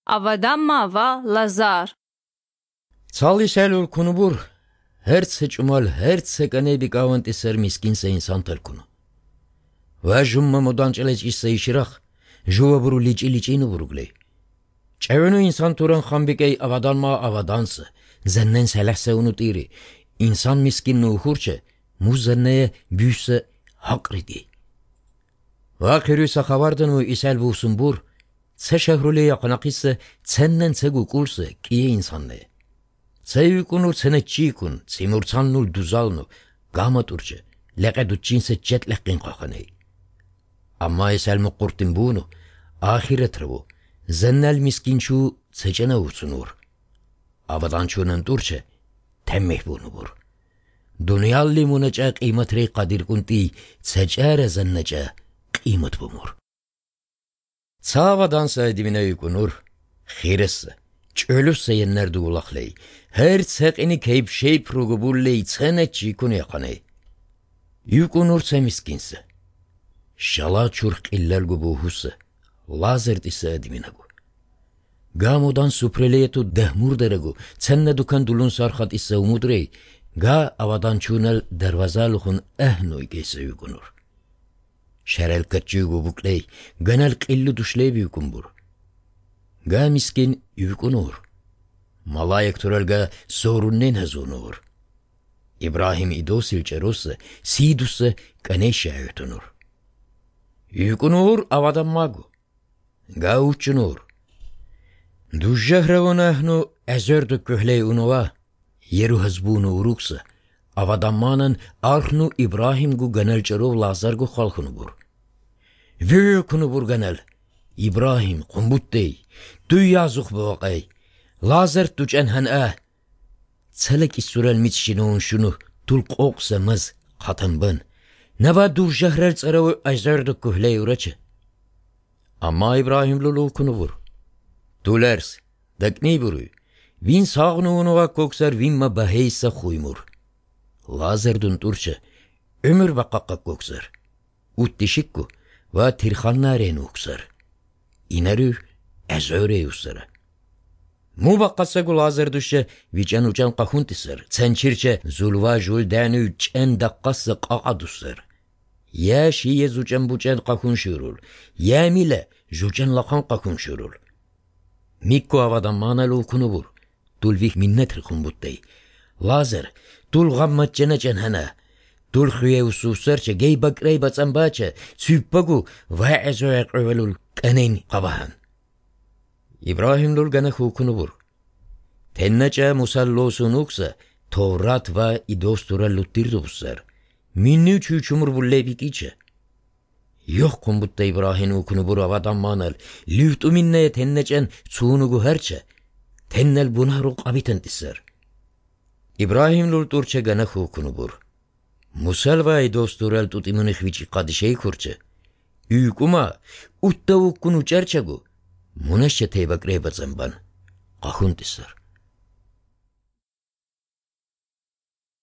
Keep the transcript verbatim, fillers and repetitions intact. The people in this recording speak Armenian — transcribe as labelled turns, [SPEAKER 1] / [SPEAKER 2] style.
[SPEAKER 1] Ավադամմավա Լազար։
[SPEAKER 2] Ցալիսելուր քունուբուր հերցը ճումալ հերցը կնեբի կավանտիսեր միսկին սեին սանտել քունու։ Վաժումմը մոդանճելեջ իսը իշիրախ ժուվաբուրու լիճի լիճինու բուրուգլեի։ Ճևենու ինսան турան խամբիկեի ավադանմա ավադանսը զեննեն սելեսը ունու տիրի ինսան միսկինն ու խուրչը մուզեննե բյուսը հակրիդի։ Վակերույսը խավարդն ու իսել վուսումբուր Ցե շահրուլի ակնակիսը ցեննեն ցեգու կուրսը կիե ինսաննե։ Ցեյուկունու ցենե ճիկուն ցիմուրցաննուլ դուզալնու գամատուրջը լեկեդուչինսը ջետ լեկին խախանեի։ Ամա իսել մկուրտին բունու ախիրը տրվու զեննել միսկինչու ցեջենը ուսունուր։ Ավադանչունն տուրչը թեմմեհ բունուբուր։ Դունյալ լիմունեճը կիմատրի կադիրկունտի ցեջերը զեննեճը կիմատ բումուր։ Ցավադանսը դիմինեյկունուր խիրեսը ճոլուսը եններ դուլախլեի հերց հեղինի քեյփ շեյփ ռուգուբուլլեի ցենե ճիկունի ականեի յուկունուր ցեմիսկինսը շալաչուր կիլլել գուբուհուսը լազերտիսը դիմինագու գամոդան սուպրելիետու դահմուր դերեգու ցեննե դուքան դուլուն սարխատիսը ումուդրեի գա ավադանչունել դերվազալուխուն էհնոյ գեսը յուկունուր Շերել կճյուգու բուկլեի գնել կիլլու դուշլեի յուկումբուր Գա միսկին յուկունուր Մալայեք թուրել գա սորուննեն հզունուր Իբրահիմ իդոսիլ ճերոսը սիդուսը կնեշի այոտունուր Յուկունուր ավադամմագու Գա ուչունուր Դուժահրավոն ահնու əzərdə köhləy unova Yeru hızbunu uruksa Avadammanın arxnu İbrahim gu ganel çarov Lazar gu xalxunu bur. Vökunu bur ganel. İbrahim qumbuttey. Du yazıq bavaqay. Lazar tuçen han ah. Tsalak isurel mitşinun şunu tulq oqsamız qatambın. Nava dur jahrel tsarav azarda kuhley uraçı. Amma İbrahim lulu kunu bur. Tulers. Dakni buruy. Vin sağnu unuğa koksar vinma baheysa xuymur. Lazerdun turçı, ömür bakakka koksar. Uttişikku, va tirxannaren uksar. İnerü, ezöre usara. Mu bakkasagu lazerduşa, vican ucan qahuntisar. Çençirçe, zulva jul dänü çen dakkası qaqadusar. Ya şiye zucan bucan qahun şurul. Ya mile, jucan laqan qahun şurul. Mikko avadan manalu kunubur. Tulvih minnetri kumbuttey. Lazer, Tul gammatçene cenhana. Tul xuye ususarça gey bakrey batsambaça. Süppagu va ezoyak övelul kaneyn qabahan. İbrahim lul gana xukunubur. Tennaca musallosun uksa Tevrat va idostura luttirdubusar. Minni çüçumur bulleybikice. Yok kumbutta İbrahim ukunubur avadan manal. Lüftu minne tennacen suunugu herça. Tennel bunaruk abitantisar. İbrahim lul turçe gana xukunubur. Musal va idosturel tutimuni xvici qadişey kurçe. Üykuma utta ukkunu çerçagu. Muneşçe teybak reybatzamban. Qahuntisar.